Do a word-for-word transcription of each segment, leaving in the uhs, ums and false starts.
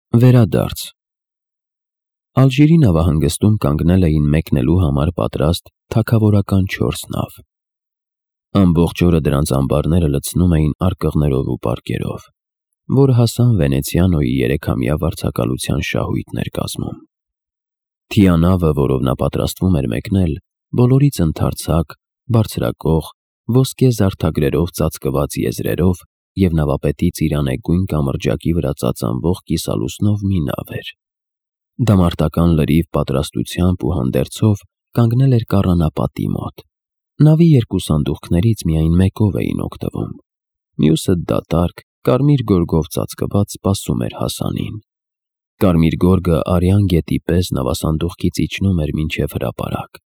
Վերադարձ Ալժիրի նավահանգստում կանգնել էին մեկնելու համար պատրաստ թագավորական չորս նավ։ Ամբողջ օրը դրանց ամբարները լցնում էին արկղներով ու պարկերով, որ հասան Վենեցիանոյի երեքամյա վարձակալության շահույթն էր կազմում։ Թիանավը, որով նա պատրաստվում էր մեկնել, բոլորից ընդարձակ, բարձրակող, ոսկե զարդագրերով ծածկված եզրերով և նավապետի ծիրանեգույն կամրջակի վրա ծածանվող կիսալուսնով մի նավ էր։ Դամարտական լրիվ պատրաստությամբ ու հանդերձով կանգնել էր կառանապատի մոտ։ Նավի երկու սանդուղքներից միայն մեկով էին օգտվում, մյուսը դատարկ, կարմիր գորգով ծածկված սպասում էր Հասանին։ Կարմիր գորգը արյան գետի պես նավասանդուղքից իջնում էր մինչև հրապարակ,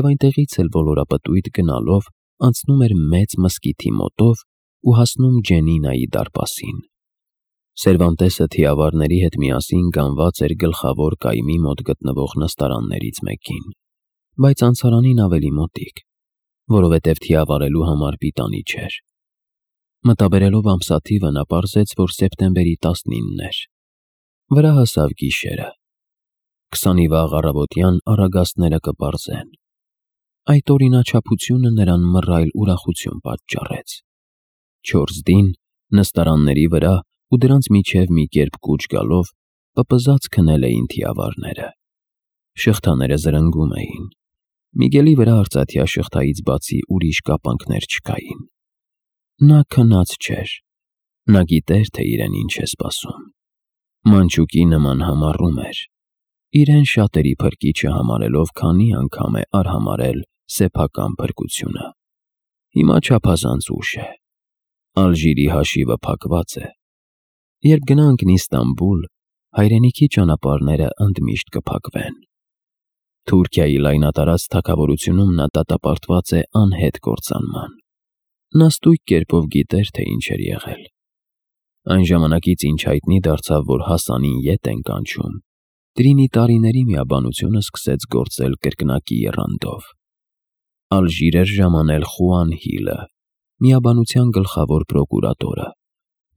և այնտեղից էլ ոլորապտույտ գնալով անցնում էր մեծ մզկիթի մոտով ու հասնում Ջենինայի դարպասին։ Սերվանտեսը թիավարների հետ միասին գանված էր գլխավոր կայմի մոտ գտնվող նստարաններից մեկին, բայց անցարանին ավելի մոտիկ, որովհետև թիավարելու համար պիտանի չէր։ Մտաբերելով ամսաթիվը, նա պարզեց, որ սեպտեմբերի տասնինն էր։ Վրա հասավ գիշերը։ Քսանի վաղ առավոտյան առագաստները կպարզեն։ Այդ օրինաչափությունը նրան մռայլ ուրախություն պատճառեց։ Չորս դին, նստարանների վրա ու դրանց միջև մի կերպ կուչ գալով, պպզած քնել էին թիավարները։ Շղթաները զրնգում էին։ Միգելի վրա արծաթյա շղթայից բացի ուրիշ կապանքներ չկային։ Նա քնած չէր։ Նա գիտեր, թե իրեն ինչ է սպասում։ Մանչուկի նման համառում էր, իրեն շատերի փրկիչը համարելով, քանի անգամ է արհամարհել սեփական փրկությունը։ Հիմա չափազանց ուշ է։ Ալժիրի հաշիվը փակված է։ Երբ գնա ընկնի Ստամբուլ, հայրենիքի ճանապարհները ընդմիշտ կփակվեն։ Թուրքիայի լայնատարած թագավորությունում նա դատապարտված է անհետ կործանման։ Նա ստույգ կերպով գիտեր, թե ինչ էր եղել։ Այն ժամանակից, ինչ հայտնի դարձավ, որ Հասանին ետ են կանչում, Տրինիտարիների միաբանությունը սկսեց գործել կրկնակի եռանդով։ Ալժիր էր ժամանել Խուան Հիլը, միաբանության գլխավոր պրոկուրատորը,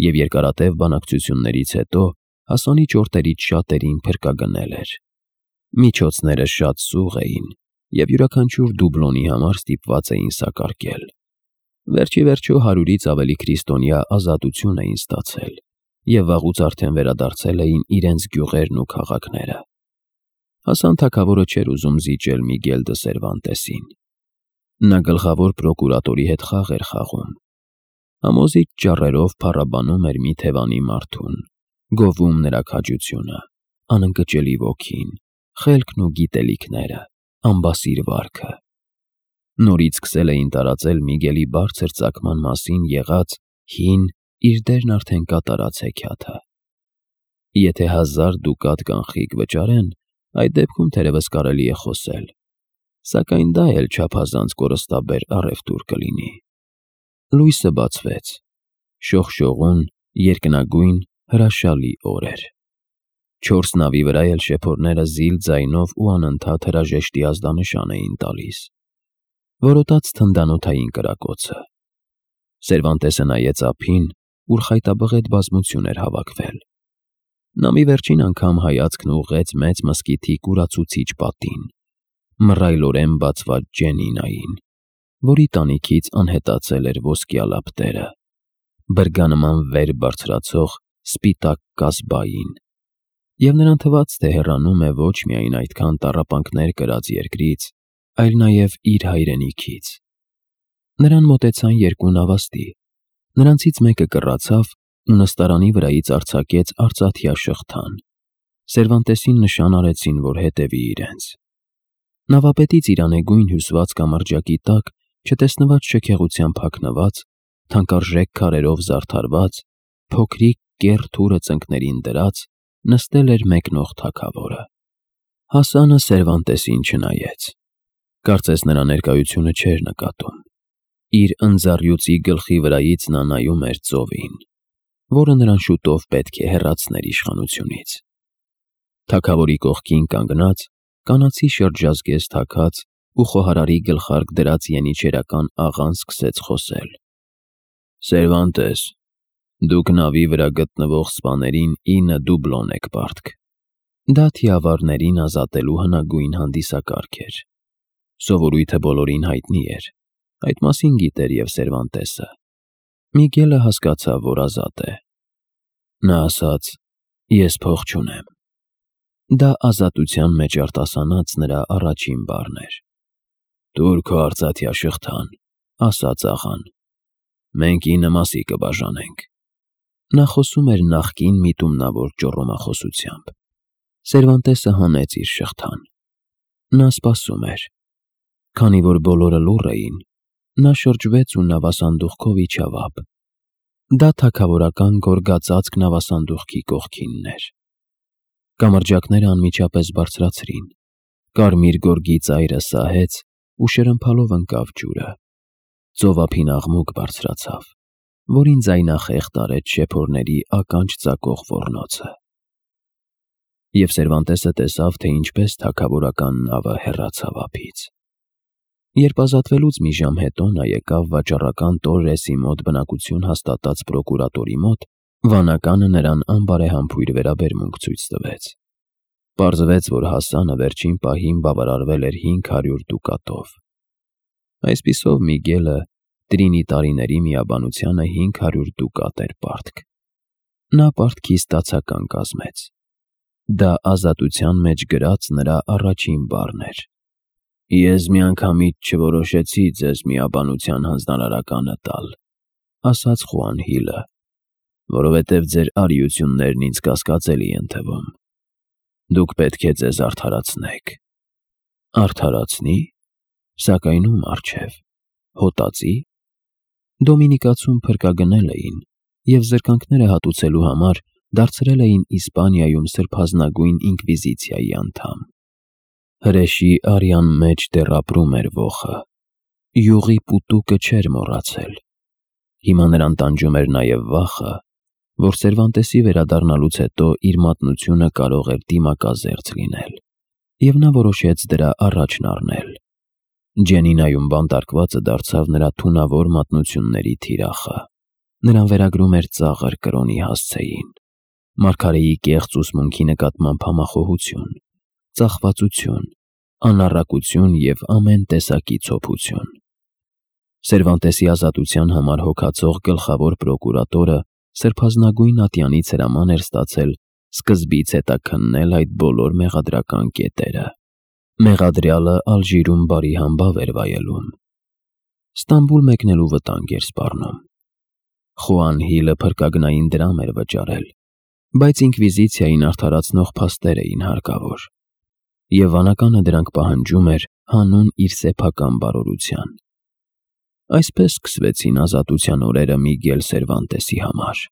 և երկարատև բանակցություններից հետո Հասանի ճորտերից շատերին փրկագնել էր։ Միջոցները շատ սուղ էին, և յուրաքանչյուր դուբլոնի համար ստիպված էին սակարկել։ Վերջիվերջո հարյուրից ավելի քրիստոնյա ազատություն էին ստացել, և վաղուց արդեն վերադարձել էին իրենց գյուղերն ու քաղաքները։ Հասան թագավորը չէր ուզում զիջել Միգել դը Սերվանտեսին։ Նա գլխավոր պրոկուրատորի հետ խաղ էր խաղում։ Համոզիչ ճառերով փառաբանում էր մի թևանի մարդուն, գովում նրա քաջությունը, անընկճելի ոգին, խելքն ու գիտելիքները, անբասիր վարքը։ Նորից սկսել էին տարածել Միգելի բարձր ծագման մասին եղած հին, իր դերն արդեն կատարած հեքիաթը։ Եթե հազար դուկատ կանխիկ վճարեն, այդ դեպքում թերևս կարելի է խոսել, սակայն դա էլ չափազանց կորստաբեր առևտուր կլինի։ Լույսը բացվեց։ Շողշողուն, երկնագույն, հրաշալի օր էր։ Չորս նավի վրա էլ շեփորները զիլ ձայնով ու անընդհատ հրաժեշտի ազդանշան էին տալիս։ Որոտաց թնդանոթային կրակոցը։ Սերվանտեսը նայեց ափին, ուր խայտաբղետ բազմություն էր հավաքվել։ Նա մի վերջին անգամ հայացքն ուղղեց մեծ մզկիթի կուրացուցիչ պատին, մռայլորեն բացված Ջենինային, որի տանիքից անհետացել էր ոսկյա լապտերը, բրգանման վեր բարձրացող սպիտակ կազբային, և նրան թվաց, թե հեռանում է ոչ միայն այդքան տառապանքներ կրած երկրից, այլ նաև իր հայրենիքից։ Նրան մոտեցան երկու նավաստի, նրանցից մեկը կռացավ ու նստարանի վրայից արձակեց արծաթյա շղթան։ Սերվանտեսին նշան արեցին, որ հետևի իրենց։ Նավապետի ծիրանեգույն հյուսված կամրջակի տակ, չտեսնված շքեղությամբ հագնված, թանկարժեք քարերով զարդարված, փոքրիկ կեռ թուրը ծնկներին դրած, նստել էր մեկնող թագավորը։ Հասանը Սերվանտեսին չնայեց։ Կարծես նրա ներկայությունը չէր նկատում։ Իր ընձառյուծի գլխի վրայից նա նայում էր ծովին, որը նրան շուտով պետք է հեռացներ իշխանությունից։ Թագավորի կողքին կանգնած, կանացի շրջազգեստ հագած ու խոհարարի գլխարկ դրած ենիչերական աղան սկսեց խոսել։ «Սերվանտես, Դուք նավի վրա գտնվող սպաներին ինը դուբլոն եք պարտք։ Դա թիավարներին ազատելու հնագույն հանդիսակարգ էր։ Սովորույթը բոլորին հայտնի էր, այդ մասին գիտեր և Սերվանտեսը։ Միգելը հասկացավ, որ ազատ է։ Նա ասաց. «Ես փող չունեմ»։ Դա ազատության մեջ արտասանած նրա առաջին բառն էր։ «Տուր քո արծաթյա շղթան», ասաց աղան։ «Մենք ինը մասի կբաժանենք»։ Նա խոսում էր նախկին միտումնավոր ճոռոմախոսությամբ։ Սերվանտեսը հանեց իր շղթան։ Նա սպասում էր։ Քանի որ բոլորը լուռ էին, նա շրջվեց ու նավասանդուղքով իջավ ափ։ Դա թագավորական գորգածածկ նավասանդուղքի կողքինն էր։ Կամրջակները անմիջապես բարձրացրին։ Կարմիր գորգի ծայրը սահեց ու շրմփալով ընկավ ջուրը։ Ծովափին աղմուկ բարձրացավ, որին ձայնախեղդ արեց շեփորների ականջ ծակող ոռնոցը։ Եվ Սերվանտեսը տեսավ, թե ինչպես թագավորական նավը հեռացավ ափից։ Երբ ազատվելուց մի ժամ հետո նա եկավ վաճառական Տորրեսի մոտ բնակություն հաստատած պրոկուրատորի մոտ, վանականը նրան անբարեհամբույր վերաբերմունք ցույց տվեց։ Պարզվեց, որ Հասանը վերջին պահին բավարարվել էր հինգ հարյուր դուկատով։ Այսպիսով Միգելը Տրինիտարիների միաբանությանը հինգ հարյուր դուկատ էր պարտք։ Նա պարտքի ստացական կազմեց։ Դա ազատության մեջ գրած նրա առաջին բառն էր։ «Ես միանգամից չորոշեցի ձեզ միաբանության հանձնարարականը տալ», ասաց Խուանհիլը, «որովհետև ձեր արիություններն ինձ կասկածելի են թվում։ Դուք պետք է ձեզ արդարացնեք»։ Արդարացնի՞, սակայն ում առջև, հոտածի՞։ Դոմինիկացում փրկագնել էին և զրկանքները հատուցելու համար դարձրել էին Իսպանիայում սրբազնագույն ինկվիզիցիայի անդամ։ Հրեշի արյան մեջ դեռ ապրում էր ոխը։ Յուղի պուտուկը չէր մոռացել։ Հիմա նրան տանջում էր նաև վախը, որ Սերվանտեսի վերադառնալուց հետո իր մատնությունը կարող էր դիմակազերծ լինել, և նա որոշեց դրա առաջն առնել։ Ջենինայում բանտարկվածը դարձավ նրա թունավոր մատնությունների թիրախը։ Նրան վերագրում էր ծաղր կրոնի հասցեին, մարգարեի կեղծ ուսմունքի նկատմամբ համախոհություն, ծախվածություն, անառակություն և ամեն տեսակի ցոփություն։ Սերվանտեսի ազատության համար հոգացող գլխավոր պրոկուրատորը սրբազնագույն ատյանից հրաման էր ստացել սկզբից հետաքննել այդ բոլոր մեղադրական կետերը։ Մեղադրյալը Ալժիրում բարի համբավ էր վայելում։ Ստամբուլ մեկնելու վտանգ էր սպառնում։ Խուանհիլը փրկագնային դրամ էր վճարել, բայց ինկվիզիցիային արդարացնող փաստեր էին հարկավոր, և վանականը դրանք պահանջում էր հանուն իր սեփական բարօրության։ Այսպես սկսվեցին ազատության օրերը Միգել Սերվանտեսի համար։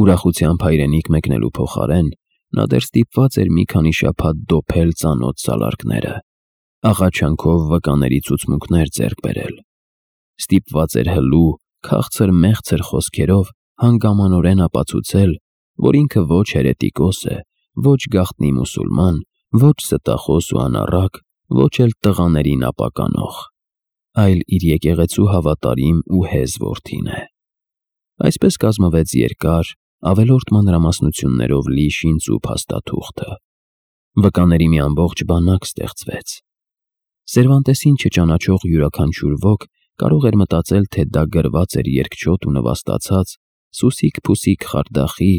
Ուրախությամբ հայրենիք մեկնելու փոխարեն նա դեռ ստիպված էր մի քանի շաբաթ դոփել ծանոթ սալարկները, աղաչանքով վկաների ցուցմունքներ ձեռք բերել։ Ստիպված էր հլու, քաղցր-մեղցր խոսքերով հանգամանորեն ապացուցել, որ ինքը ոչ հերետիկոս է, ոչ գաղտնի մուսուլման, ոչ ստախոս ու անառակ, ոչ էլ տղաներին ապականող, այլ իր եկեղեցու հավատարիմ ու հեզ որդին է։ Այսպես կազմվեց երկար, ավելորդ մանրամասնություններով լի շինծու փաստաթուղթը։ Վկաների մի ամբողջ բանակ ստեղծվեց։ Սերվանտեսին չճանաչող յուրաքանչյուր ոք կարող էր մտածել, թե դա գրված էր երկչոտ ու նվաստացած սուսիկ-փուսիկ խարդախի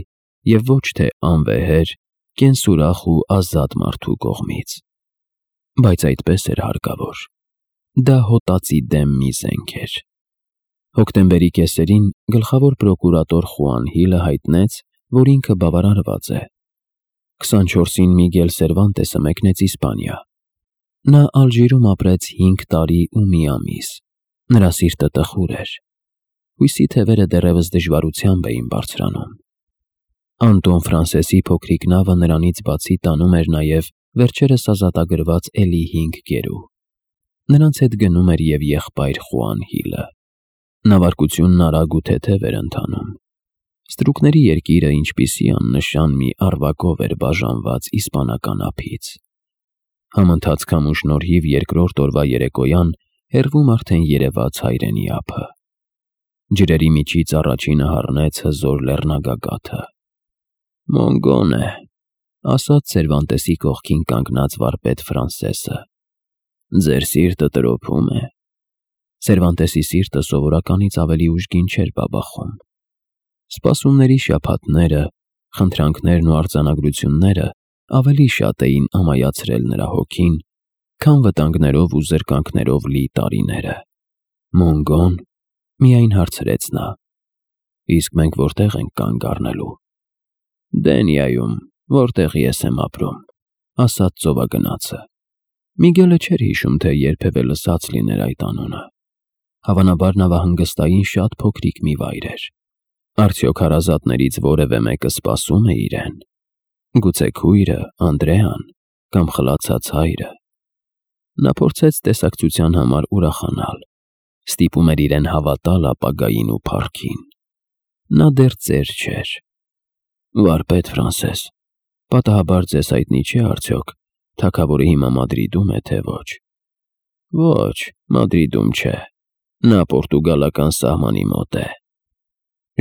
և ոչ թե անվեհեր, կենսուրախ ու ազատ մարդու կողմից։ Բայց այդպես էր հարկավոր։ Դա հոտածի դեմ մի զենք էր։ Հոկտեմբերի կեսերին գլխավոր պրոկուրատոր Խուանհիլը հայտնեց, որ ինքը բավարարված է։ քսանչորսին Միգել Սերվանտեսը մեկնեց Իսպանիա։ Նա Ալժիրում ապրեց հինգ տարի ու մի ամիս։ Նրա սիրտը տխուր էր։ Հույսի թևերը դեռևս դժվարությամբ էին բարձրանում։ Անտոն Ֆրանսեսի փոքրիկ նավը նրանից բացի տանում էր նաև վերջերս ազատագրված էլի հինգ գերու։ Նրանց հետ գնում էր և եղբայր Խուանհիլը։ Նավարկությունն արագ ու թեթև էր ընթանում։ Ստրուկների երկիրը ինչպիսի աննշան մի առվակով էր բաժանված իսպանական ափից։ Համընթաց քամու շնորհիվ երկրորդ օրվա երեկոյան հեռվում արդեն երևաց հայրենի ափը։ Ջրերի միջից առաջինը հառնեց հզոր լեռնագագաթը։ «Մոնգոն է», ասաց Սերվանտեսի կողքին կանգնած վարպետ Ֆրանսեսը։ «Ձեր սիրտը տրոփում է»։ Սերվանտեսի սիրտը սովորականից ավելի ուժգին չէր բաբախում։ Սպասումների շաբաթները, խնդրանքներն ու արձանագրությունները ավելի շատ էին ամայացրել նրա հոգին, քան վտանգներով ու զրկանքներով լի տարիները։ «Մոնգոն», միայն հարցրեց նա։ «Իսկ մենք որտեղ ենք կանգ առնելու»։ «Դենիայում, որտեղ ես եմ ապրում», ասաց ծովագնացը։ Միգելը չէր հիշում, թե երբևէ լսած լիներ այդ անունը։ Հավանաբար նավահանգստային շատ փոքրիկ մի վայր էր։ Արդյոք հարազատներից որևէ մեկը սպասում է իրեն։ Գուցե քույրը, Անդրեան, կամ խլացած հայրը։ Նա փորձեց տեսակցության համար ուրախանալ։ Ստիպում էր իրեն հավատալ ապագային ու փառքին։ Նա դեռ ծեր չէր։ «Վարպետ Ֆրանսես, պատահաբար ձեզ հայտնի չէ արդյոք, թագավորը հիմա Մադրիդում է, թե ոչ»։ «Ոչ, Մադրիդում չէ, նա պորտուգալական սահմանի մոտ է։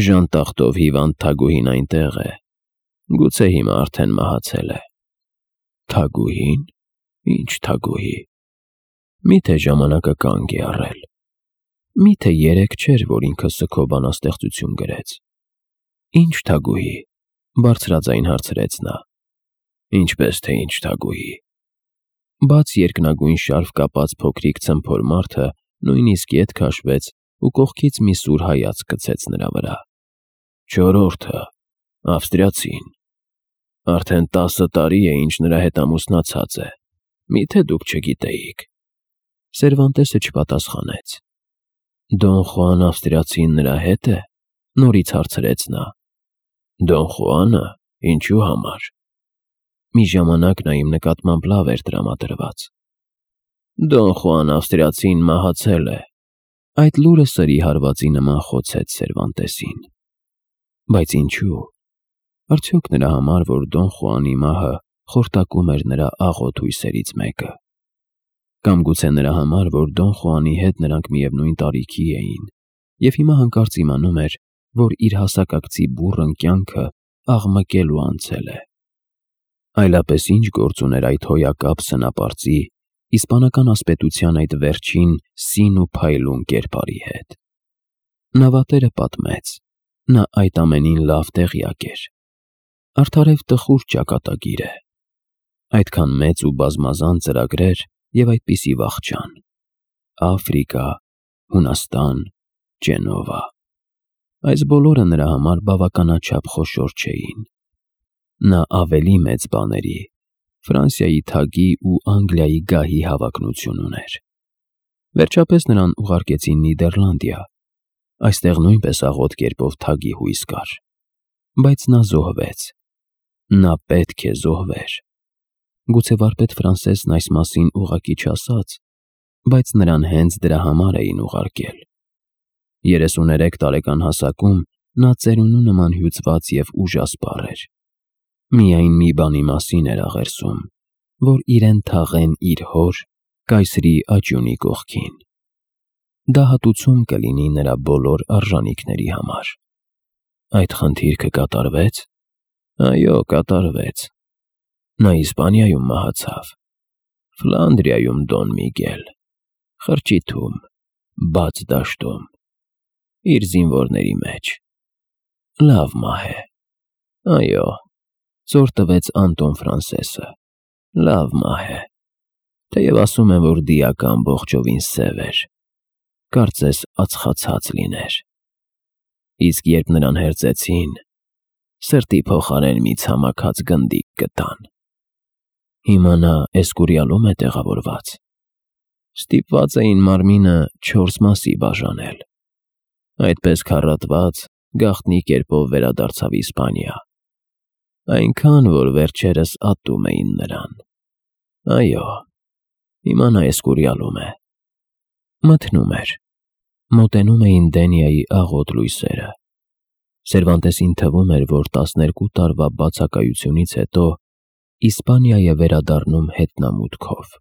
Ժանտախտով հիվանդ թագուհին այնտեղ է, գուցե հիմա արդեն մահացել է»։ «Թագուհի՞ն, ինչ թագուհի»։ Միթե ժամանակը կանգ է առել։ Միթե երեկ չէր, որ ինքը սգո բանաստեղծություն գրեց։ «Ինչ թագուհի»։ Բարձրաձայն հարցրեց նա։ «Ինչպես թե ինչ թագուհի»։ Բաց երկնագույն շարֆ կապած փոքրիկ ցմփոր մարդը նույնիսկ ետ քաշվեց ու կողքից մի սուր հայացք գցեց նրա վրա։ «Չորրորդը, ավստրիացին։ Արդեն տասը տարի է, ինչ նրա հետ ամուսնացած է, միթե դուք չգիտեիք»։ Սերվանտեսը չպատասխանեց։ «Դոն Խուան ավստրիացին նրա հետ է»։ Նորից հարցրեց նա։ «Դոն Խուանը, ինչու համար»։ Մի ժամանակ նա իմ նկատմամբ լավ էր տրամադրված։ «Դոն Խուան ավստրիացին մահացել է»։ Այդ լուրը սրի հարվածի նման խոցեց Սերվանտեսին։ Բայց ինչու։ Արդյոք նրա համար, որ Դոն Խուանի մահը խորտակում էր նրա աղոտ հույսերից մեկը։ Կամ գուցե նրա համար, որ Դոն Խուանի հետ նրանք միևնույն տարիքի էին, և հիմա հանկարծ իմանում էր, որ իր հասակակցի բուռն կյանքը աղմկելու անցել է։ Այլապես ինչ գործ ուներ այդ հոյակապ սնապարծի, իսպանական ասպետության այդ վերջին սին ու փայլուն կերպարի հետ։ Նավատերը պատմեց։ Նա այդ ամենին լավ տեղյակ էր։ Արդարև տխուր ճակատագիր է։ Այդքան մեծ ու բազմազան ծրագրեր և այդպիսի վախճան։ Աֆրիկա, Հունաստան, Ջենովա։ Այս բոլորը նրա համար բավականաչափ խոշոր չէին։ Նա ավելի մեծ բաների, Ֆրանսիայի թագի ու Անգլիայի գահի հավակնություն ուներ։ Վերջապես նրան ուղարկեցին Նիդերլանդիա։ Այստեղ նույնպես աղոտ կերպով թագի հույս կար։ Բայց նա զոհվեց։ Նա պետք է զոհվեր։ Գուցե վարպետ Ֆրանսեսն այս մասին ուղղակի չասաց, բայց նրան հենց դրա համար էին ուղարկել։ երեսուներեք տարեկան հասակում նա ծերունու նման հյուծված և ուժասպառ էր։ Միայն մի բանի մասին էր աղերսում, որ իրեն թաղեն իր հոր, կայսրի աճյունի կողքին։ Դա հատուցում կլինի նրա բոլոր արժանիքների համար։ Այդ խնդիրքը կատարվեց։ Այո, կատարվեց։ Նա Իսպանիայում մահացավ։ Ֆլանդրիայում, Դոն Միգել, խրճիթում, բաց դաշտում, իր զինվորների մեջ։ Լավ մահ է։ Այո, ծոր տվեց Անտոն Ֆրանսեսը։ Լավ մահ է։ Թեև ասում են, որ դիակը ամբողջովին սև էր, կարծես ածխացած լիներ։ Իսկ երբ նրան հերձեցին, սրտի փոխարեն մի ցամաքած գնդիկ գտան։ Հիմա նա Էսկուրիալում է տեղավորված։ Ստիպված էին մարմինը չորս մասի բաժանել։ Այդպես քառատված, գաղտնի կերպով վերադարձավ Իսպանիա։ Այնքան, որ վերջերս ատում էին նրան։ Այո, հիմա նա Էսկուրիալում է։ Մթնում էր։ Մոտենում էին Դենիայի աղոտ լույսերը։ Սերվանտեսին թվում էր, որ տասներկու տարվա բացակայությունից հետո Իսպանիա է վերադառնում հետնամուտքով։